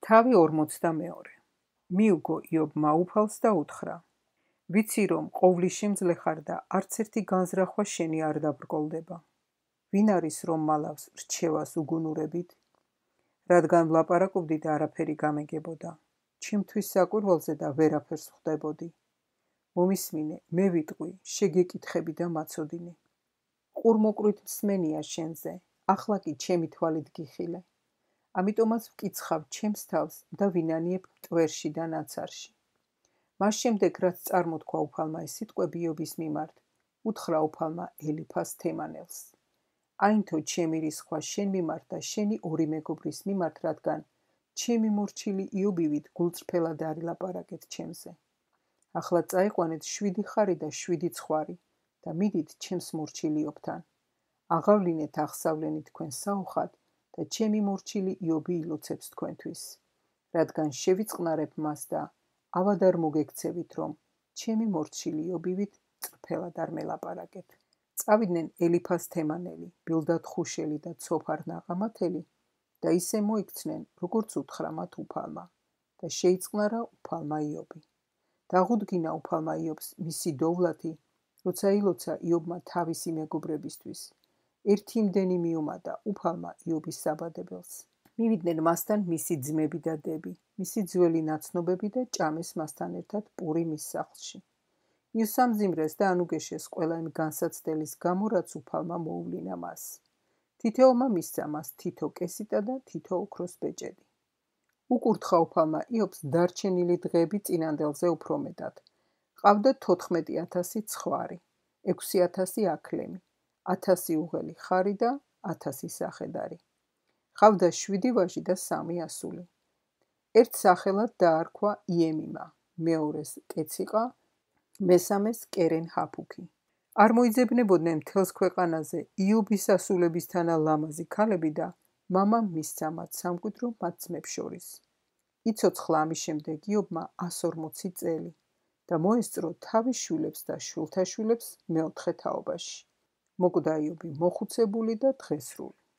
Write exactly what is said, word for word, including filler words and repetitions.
თავი ორმოცდამეორე. მიუგო იობმა უფალს და უთხრა: ვიცი რომ ყოვლის შემძლე ხარ და არც ერთი განზრახვა შენი არ დაბრკოლდება. ვინ არის რომ მალავს რჩევას უგუნურებით? რადგან ვლაპარაკობდი და არაფერი გამეგებოდა. ჩემთვის საკვირველზე და ვერაფერს ხვდებოდი. მომისმინე, მე ვიტყვი, შეგეკითხები და მაცოდინე. ყურმოყრით მსმენია შენზე, ახლა კი ჩემი თვალით გიხილე. ამიტომაც ვკიცხავ ჩემს თავს და ვინანიებ მტვერში და ნაცარში. მას შემდეგ, რაც წარმოთქვა უფალმა ეს სიტყვები იობის მიმართ, უთხრა უფალმა ელიფას თემანელს: აინთო ჩემი რისხვა შენ მიმართ და შენი ორი მეგობრის მიმართ, რადგან ჩემი მორჩილი იობივით გულწრფელად არილაპარაკეთ ჩემზე. ახლა წაიყვანეთ შვიდი ხარი და შვიდი ცხვარი და მიდით ჩემს მორჩილ იობთან. აღავლინეთ აღსავლენი თქვენ საუხად და ჩემი მორჩილი იობი ილოცებს თქვენთვის, რადგან შევიწყნარებ მას და ავად არ მოგექცევით, რომ ჩემი მორჩილი იობივით წრფელად არ მელაპარაკეთ. წავიდნენ ელიფას თემანელი, ბილდად ხუშელი და ცოფარ ნაყამათელი და ისე მოიქცნენ, როგორც უთხრა მათ უფალმა და შეიწყნარა უფალმა იობი. დაღუდგინა უფალმა იობს მისი დოვლათი, როცა ილოცა იობმა თავისი მეგობრებისთვის. ერთი იმდენი მიუმატა უფალმა იობის საბადებელს. მივიდნენ მასთან მისი ძმები და დები, მისი ძველი ნაცნობები და ჭამეს მასთან ერთად პური მის სახლში. მიუსამძიმრეს და ანუგეშეს ყველა იმ განსაცდელის გამო, რაც უფალმა მოუვლინა მას. თითოეულმა მისცა მას თითო კესიტა და თითო ოქროს ბეჭედი. უკურთხა უფალმა იობს დარჩენილი დღეები წინანდელზე უფრო მეტად. ყავდა თოთხმეტი ათასი ცხვარი, ექვსი ათასი აქლემი, ათასი უღელი ხარი და ათასი სახედარი. ყავდა შვიდი ვაჟი და სამი ასული. ერთ სახელად დაარქვა იემიმა, მეორეს კეციყა, მესამეს კერენ ჰაფუქი. არ მოიძებნებოდნენ მთელს ქვეყანაზე იობის ასულებისთანა ლამაზი ქალები და მამამ მისცა მათ სამკვიდრო მათ ძმებს შორის. იცოცხლა ამის შემდეგ იობმა ასორმოცი წელი და მოესწრო თავის შვილებს და შვილთაშვილებს მეოთხე თაობაში. მოკვდა იობი მოხუცებული და დღესრული.